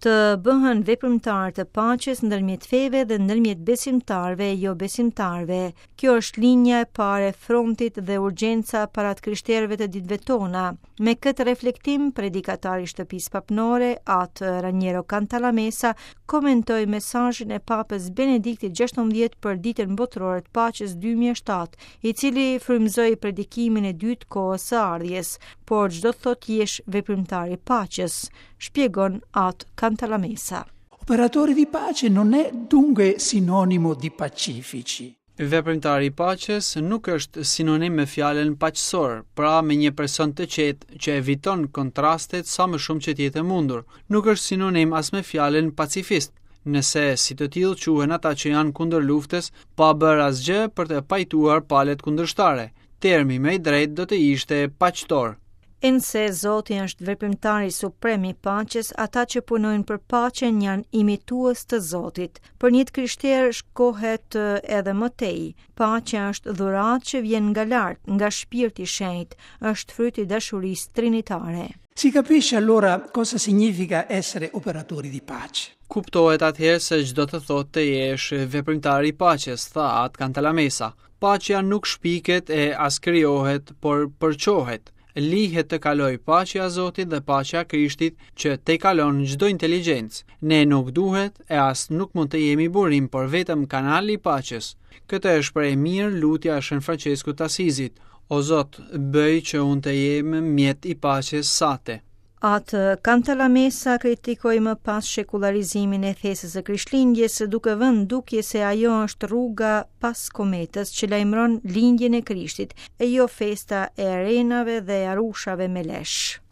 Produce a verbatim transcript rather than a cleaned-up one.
Të bëhen veprimtarë të paqes ndërmjet feve dhe ndërmjet besimtarëve e jo besimtarëve. Kjo është linja e parë e frontit dhe urgjenca para të krishterëve të ditëve tona. Me këtë reflektim, predikatari i shtëpisë papnore, atë Raniero Cantalamessa, komentoi mesazhin e Papës Benediktit gjashtëmbëdhjetë për Ditën Botërore të Paqes dy mijë e shtatë, i cili frymëzoi predikimin e dytë kohës së ardhjes, por ç'do të thotë jesh veprimtar i paqes, shpjegon atë Cantalamessa. Operatore di pace non è dunque sinonimo di pacifici. Veprimtari i paqes nuk është sinonim me fjalën paqësor, pra me një person të qetë që eviton kontrastet sa më shumë që të jetë e mundur. Nuk është sinonim as me fjalën pacifist, nëse si të tillë quhen ata që janë kundër luftës pa bërë asgjë për të pajtuar palët kundërshtare. Termi më i drejtë do të ishte paqtor. E nëse Zoti është veprimtari suprem i paqes, ata që punojnë për paqen janë imitues të Zotit. Për një të krishterë shkohet edhe më tej. Paqja është dhuratë që vjen nga lart, nga shpirti i shenjtë, është fryt i dashurisë trinitare. Si capisce allora cosa significa essere operatori di pace. Kuptohet atëherë se ç'do të thotë të jesh veprimtar i paqes, tha atë Cantalamessa. Paqja nuk shpiket e as krijohet, por përçohet. Lihet të kaloj paqja e Zotit dhe paqja e Krishtit që te kalon çdo inteligjencë. Ne nuk duhet e as nuk mund të jemi burim, por vetëm kanali i paqes. Këtë e shpreh mirë lutja e Shën Franceskut të Asizit. O Zot, bëj që unë të jem mjet i paqes sate. Atë Cantalamessa kritikoi më pas shekullarizimin e fesës së Krishtlindjes, duke vënë dukje se ajo është rruga pas kometës që lajmëron lindjen e Krishtit, e jo festa e arenave dhe arushave me lesh.